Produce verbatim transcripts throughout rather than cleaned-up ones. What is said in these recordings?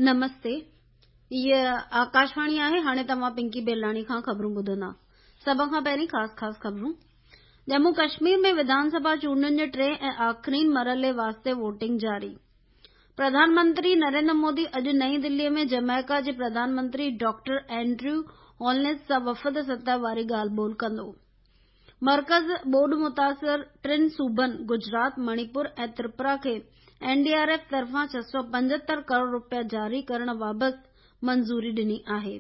نمستي، هيء آڪاشواڻي آهي. هاڻي توهان پنڪي بيلاڻي کان خبرون ٻڌندا. سڀ کان پهرين خاص خاص خبرون. ڄمون ڪشمير ۾ وڌان سڀا چونڊن جي ٽئين ۽ آخرين مرحلي واسطي ووٽنگ جاري. پرڌان منتري نريندر مودي اڄ نئين دلي ۾ جمائيڪا جي پرڌان منتري ڊاڪٽر اينڊريو هولنس سان وفد سطح واري ڳالهه ٻولهه ڪندو. مرڪز ٻوڏ متاثر ٽن صوبن گجرات، مڻيپور ۽ تريپورا کي اين ڊي آر ايف طرفان ڇهه سؤ پنجهتر ڪروڙ رپيا جاري ڪرڻ بابت منظوري ڏني آهي.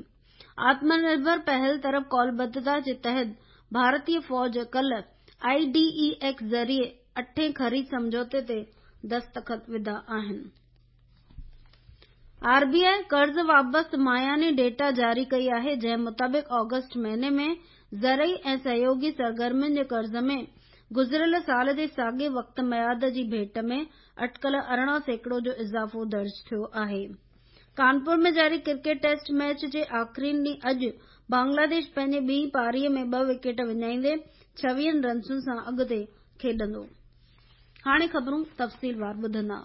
آتم نرڀر پهل طرف قولبڌتا جي تحت ڀارتي فوج ڪالهه I D A X ذريعي اٺين خريد سمجهوتي تي دستخط وڌا آهن. آر بي آء قرض وابسته ماهياني ڊيٽا جاري ڪئي آهي، جنهن مطابق آگسٽ مهيني ۾ زرعي ۽ سهيوڳي سرگرمين جي قرض ۾ گذريل سال جي ساڳئي وقت ميعاد جي ڀيٽ ۾ اٽڪل ارڙهن سيڪڙو جو اضافو درج ٿيو آهي. ڪانپور ۾ جاري ڪرڪيٽ ٽيسٽ ميچ جي آخرين ڏينهن اڄ بنگلاديش پنهنجي ٻي پاري ۾ ٻه وڪيٽ وڃائيندي ڇويهن رنسن سان اڳتي کيڏندو. هاڻي خبرون تفصيلوار ٻڌندا.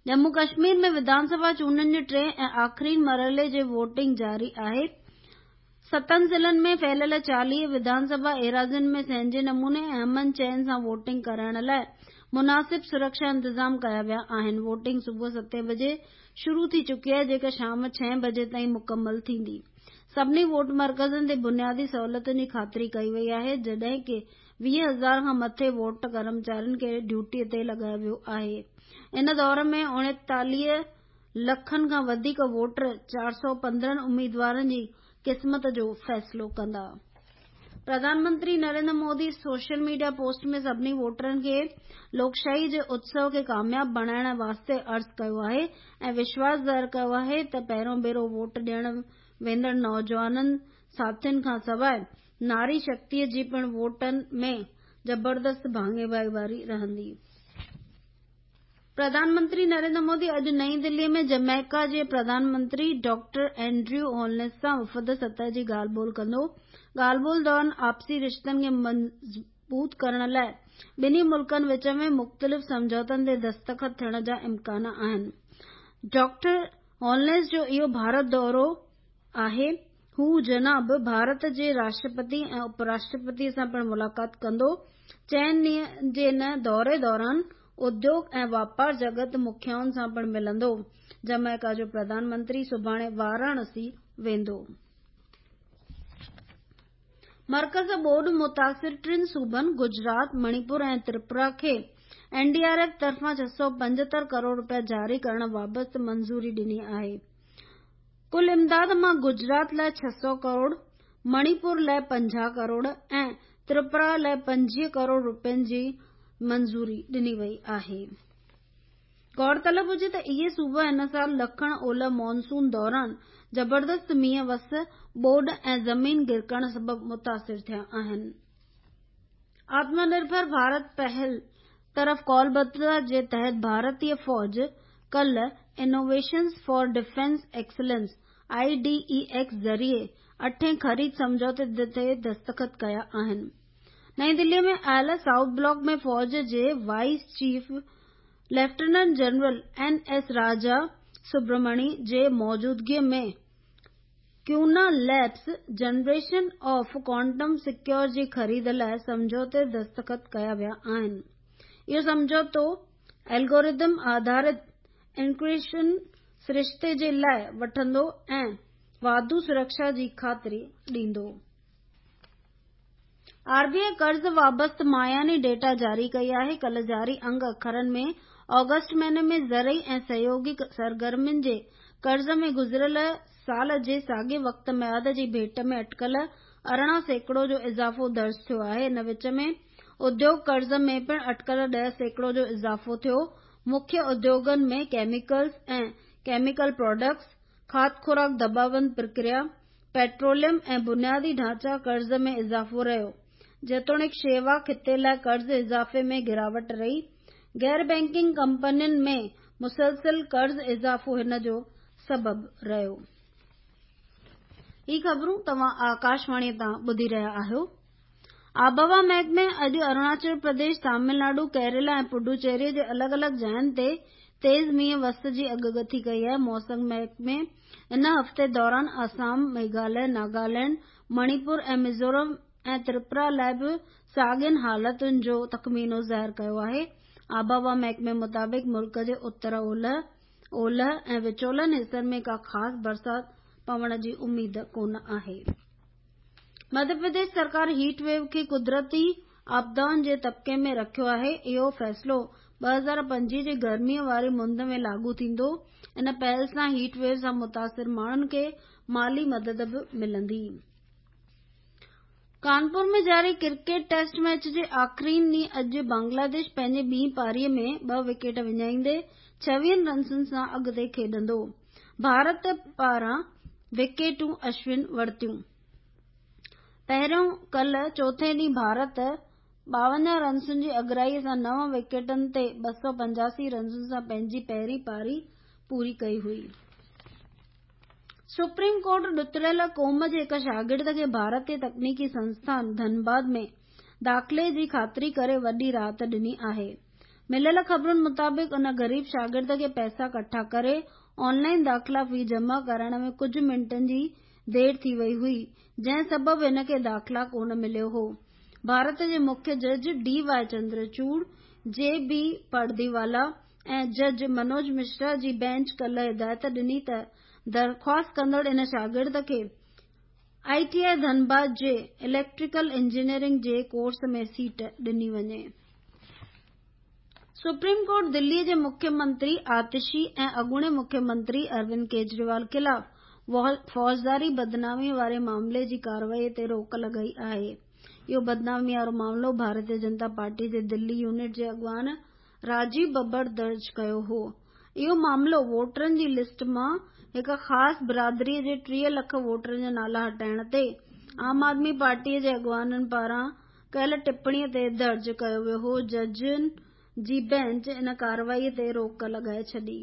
ڄمون ڪشمير ۾ وڌان سڀا چونڊن جي ٽئين ۽ آخرين مرحلي جي ووٽنگ جاري آهي. ستن ضلعن ۾ ڦهليل چاليهه وڌان سڀا ايراضين ۾ سهنجي نموني ۽ امن چين سان ووٽنگ ڪرائڻ لاء مناسب سرڪشا انتظام ڪيا ويا آهن. ووٽنگ صبح ستين بجي شروع ٿي چڪي آهي، جيڪا شام ڇهين بجي تائين مڪمل ٿيندي. سڀني ووٽ مرڪزن تي بنيادي سهولتن جي خاطري ڪئي وئي آهي، جڏهن ڪه ويهه هزار کان مٿي ووٽ ڪرمچارين کي ڊيوٽي تي لڳايو ويو آهي. ان دور ۾ اڻيتاليهه لکن کان وڌيڪ ووٽر چار سؤ پندرهن اميدوارن جي قسمت جو فيصلو ڪندا. Pradhan Mantri Narendra Modi social media post ۾ سڀني ووٽرن کي لوڪشاهي جي اتسو کي ڪامياب بڻائڻ واسطي عرض ڪيو آهي ۽ وشواس ظاهر ڪيو آهي ته پهريون ڀيرو ووٽ ڏيڻ ويندڙ نوجوانن ساٿين کان سواء ناري شڪتي جي پڻ ووٽن ۾ زبردست ڀاڱيواري رهندي. پرڌان منتري نريندر مودي اڄ نئين دلي ۾ جمائيڪا جي پرڌان منتري ڊاڪٽر اينڊريو هولنس سان وفد سطح جي ڳالهه ٻولهه ڪندو. ڳالهه ٻولهه دوران آپسي رشتن کي مضبوط ڪرڻ لاء ٻنهي ملڪن وچ ۾ مختلف سمجهوتن تي دستخط ٿيڻ جا امڪان آهن. ڊاڪٽر هولنس جو اهو ڀارت دورو آهي. هو جناب ڀارت جي راشٽرپتي ۽ اپ راشٽرپتي سان پڻ ملاقات ڪندو. چئن ڏينهن جي ان دوري دوران اديوگ ۽ واپار جڳت مکيائن سان پڻ ملندو. جمائيڪا جو پرڌان منتري سڀاڻي واراڻسي ويندو. مرڪز ٻوڏ متاثر ٽن صوبن گجرات، مڻيپور ۽ تريپورا کي اين ڊي آر ايف طرفان ڇهه سؤ پنجهتر ڪروڙ رپيا جاري ڪرڻ بابت منظوري ڏني آهي. ڪل امداد مان گجرات لاء ڇهه سؤ ڪروڙ، مڻيپور لاء پنجاهه ڪروڙ ۽ تريپورا لاء پنجويهه ڪروڙ رپين جي منظوري ڏني وئي آهي. غور طلب هجي ته اهي صوبا هن سال ڏکڻ اولهه مانسون دوران زبردست مينهن وس، ٻوڏ ۽ زمين گرڪڻ سبب متاثر ٿيا آهن. آتم نرڀر ڀارت پهل طرف قولبڌتا جي تحت ڀارتي فوج ڪالهه innovations for defence excellence I D A X ذريعي اٺين خريد سمجهوتي تي دستخط ڪيا آهن. نئين دلي ۾ آيل سائوٿ بلاڪ ۾ فوج جي vice chief lieutenant general N S Raja Subramani جي موجودگي ۾ Quanna labs generation of quantum secure جي خريد لاء سمجهوتي دستخط ڪيا ويا آهن. اهو سمجهوتو الگورٿم آڌارت انڪرپشن سرشتي جي لاء وٺندو ۽ واڌو سرڪشا جي خاطري ڏيندو. آر بي آء قرض وابسته ماهياني ڊيٽا جاري ڪئي آهي. ڪالهه جاري انگ اکرن ۾ آگسٽ مهيني ۾ زرعي ۽ سهيوڳي سرگرمين جي قرض ۾ گذريل سال جي ساڳئي وقت ميعاد جي ڀيٽ ۾ اٽڪل ارڙهن سيڪڙو جو اضافو درج ٿيو آهي. ان وچ ۾ اديوگ قرض ۾ پڻ اٽڪل ڏهه سيڪڙو جو اضافو ٿيو. مکيه اديوگن ۾ ڪيميڪلز ۽ ڪيميڪل پراڊڪٽس، کاڌ خوراڪ دٻابند پرڪريا، پيٽروليم ۽ بنيادي ڍانچا قرض ۾ اضافو رهيو. جيتوڻيڪ شيوا خطي لاء قرض اضافي ۾ گراوٽ رهي. غير بئنڪنگ ڪمپنين ۾ مسلسل قرض اضافو هن جو سبب رهيو. هي خبرون توهان آڪاشواڻي تان ٻڌي رهيا آهيو. آبهوا محڪمي اڄ اروناچل پرديش، تامل ناڊو، ڪيرالا ۽ پڊوچيري جي الڳ الڳ جاين تي تيز مينهن وس جي اڳڪٿي ڪئي آهي. موسم محڪمي ان هفتي دوران آسام، ميگهاليه، ناگالينڊ، مڻيپور ۽ ميزورم ۽ تريپورا لاءِ به ساڳين حالتن جو تخمينو ظاهر ڪيو آهي. آبهوا محڪمي مطابق ملڪ جي اتر اولهه، اولهه ۽ وچولن حصن ۾ ڪا خاص برسات پوڻ جي اميد ڪونه آهي. مڌيه پرديش سرڪار هيٽ ويو کي قدرتي آپدائن جي طبقي ۾ رکيو آهي. اهو فيصلو ٻه هزار پنجويهه جي گرميء واري مند ۾ لاڳو ٿيندو. ان پهل سان هيٽ ويو سان متاثر ماڻهن کي مالي مدد به ملندي. ڪانپور ۾ جاري ڪرڪيٽ ٽيسٽ ميچ جي آخرين ڏينهن اڄ بنگلاديش پنهنجي ٻي پاري ۾ ٻه وڪيٽ وڃائيندي ڇويهن رنسن سان اڳتي کيڏندو. ڀارت پاران وڪيٽون اشون ورتيون. پهريون ڪالهه چوٿين ڏينهن ڀارت ٻاونجاهه رنسن جي اڳرائي سان نو وڪيٽن تي ٻه سؤ پنجاسي رنسن سان پنهنجي پهرين پاري پوري ڪئي هئي. سپريم ڪورٽ ڏتڙيل قوم جي هڪ شاگرد کي ڀارتي تڪنيڪي سنسٿان ڌنباد ۾ داخلي جي خاطري ڪري وڏي راحت ڏني آهي. مليل خبرن مطابق ان غريب شاگرد کي پئسا ڪٺا ڪري آن لائن داخلا في جمع ڪرائڻ ۾ ڪجهه منٽن جي دير ٿي وئي هئي، جنهن سبب هن کي داخلا ڪونه مليو هو. ڀارت جي مکيه جج ڊي وائي چندرچوڙ، جي بي پرديوالا ۽ جج منوج مشرا جي بينچ ڪالهه هدايت ڏني ته درخواست ڪندڙ ان شاگرد کي I T I Dhanbad جي اليڪٽريڪل انجنيئرنگ جي ڪورس ۾ سيٽ ڏني وڃي. سپريم ڪورٽ دلي جي مکيه منتري آتشي ۽ اڳوڻي مکيه منتري اروند ڪيجريوال خلاف فوجداري بدنامي واري معاملي جي ڪارروائي تي روڪ لڳائي آهي. اهو بدنامي وارو معاملو ڀارتيه جنتا پارٽي جي دلي يونٽ جي اڳواڻ راجيو ببر درج ڪيو هو. اهو معاملو ووٽرن جي لسٽ مان هڪ خاص برادري جي ٽيهه لک ووٽرن جا نالا هٽائڻ تي عام آدمي پارٽي جي اڳواڻن پاران ڪيل ٽپڻي تي درج ڪيو ويو هو. ججن جي بينچ ان ڪارروائي تي روڪ لڳائي ڇڏي.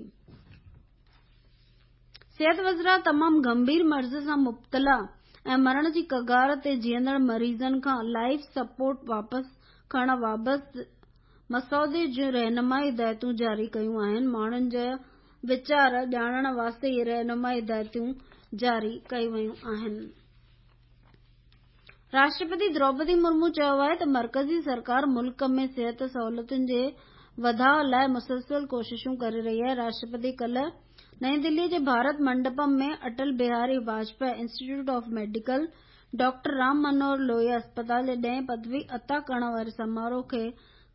صحت وزارت تمام گنڀير مرض سان مبتلا ۽ مرڻ جي ڪگار تي جيئندڙ مريضن کان لائف سپورٽ واپس کڻڻ بابت مسودي جون رهنمائي هدايتون جاري ڪيون آهن. ماڻهن جا ويچار ڄاڻڻ واسطي اهي رهنمائي هدايتون جاري ڪيون ويون آهن. راشٽرپتي دروپدي مرمو چيو آهي ته مرڪزي سرڪار ملڪ ۾ صحت سهولتن جي وڌاءَ لاءِ مسلسل ڪوششون ڪري رهي آهي. راشٽرپتي ڪالهه نئين دلي جي Bharat منڊپم ۾ Atal Bihari Vajpayee institute of medical doctor Ram Manohar Lohia اسپتال جي ڏهين پدوي عطا ڪرڻ واري سماروهه کي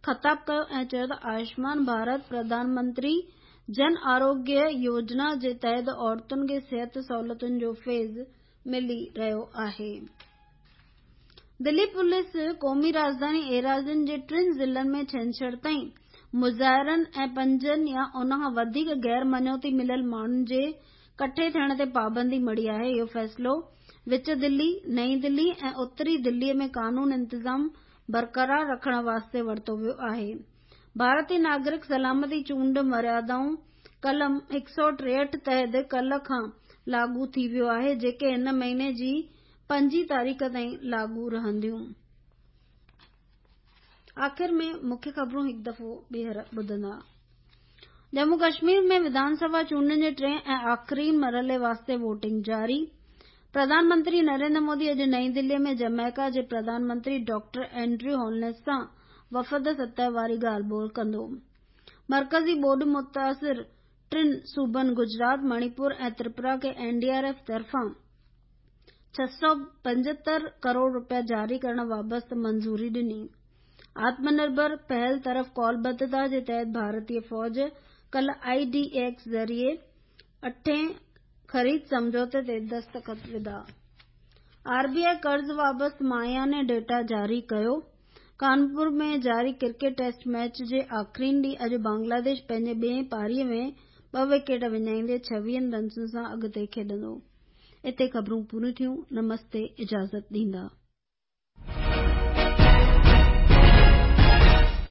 خطاب ڪيو ۽ چيو ته آيوشمان ڀارت پرڌان منتري جن آروگيه يوجنا جي تحت عورتن کي صحت سهولتن جو فيض ملي رهيو آهي. دلي پوليس قومي راڄڌاني ايراضين جي ٽن ضلعن ۾ ڇنڇر تائين مظاهرن ۽ پنجن يا ان کان وڌيڪ غير مڃوتي مليل ماڻهن جي ڪٺي ٿيڻ تي پابندي مڙهي آهي. اهو فيصلو وچ دلي، نئين دلي ۽ اتري دلي ۾ قانون انتظام برقرار رکڻ واسطي ورتو ويو آهي. ڀارتي ناگرڪ سلامتي چونڊ مريادائون قلم هڪ سؤ ٽيهٺ تحت ڪالهه کان لاڳو ٿي ويو آهي، جيڪي هن مهيني جي پنجين تاريخ تائين لاڳو رهنديون. آخر ۾ مکيه خبرون هڪ دفعو ٻيهر ٻڌندا. ڄمون ڪشمير ۾ وڌان سڀا چونڊن جي ٽئين ۽ آخرين مرحلي واسطي ووٽنگ جاري. پرڌان منتري نريندر مودي اڄ نئين دلي ۾ جمائيڪا جي پرڌان منتري ڊاڪٽر اينڊريو هولنس سان وفد سطح واري ڳالهه ٻولهه ڪندو. مرڪزي ٻوڏ متاثر ٽن صوبن گجرات، مڻيپور ۽ تريپورا کي اين ڊي آر ايف طرفان ڇهه سؤ پنجهتر ڪروڙ رپيا جاري ڪرڻ بابت منظوري ڏني. آتم نرڀر پهل طرف ڪالبڌتا جي تحت ڀارتي فوج ڪالهه I D X ذريعي اٺين خريد سمجهوتي تي دستخط وڌا. آر بي آءِ قرض بابت ماهياني ڊيٽا جاري ڪيو. ڪانپور ۾ جاري ڪرڪيٽ ٽيسٽ ميچ جي آخرين ڏينهن اڄ بنگلاديش پنهنجي ٻئين پاري ۾ ٻه وڪيٽ وڃائيندي ڇويهن رنسن سان اڳتي کيڏندو. اتي خبرون پوريون ٿيون. نمستي، اجازت ڏيندا.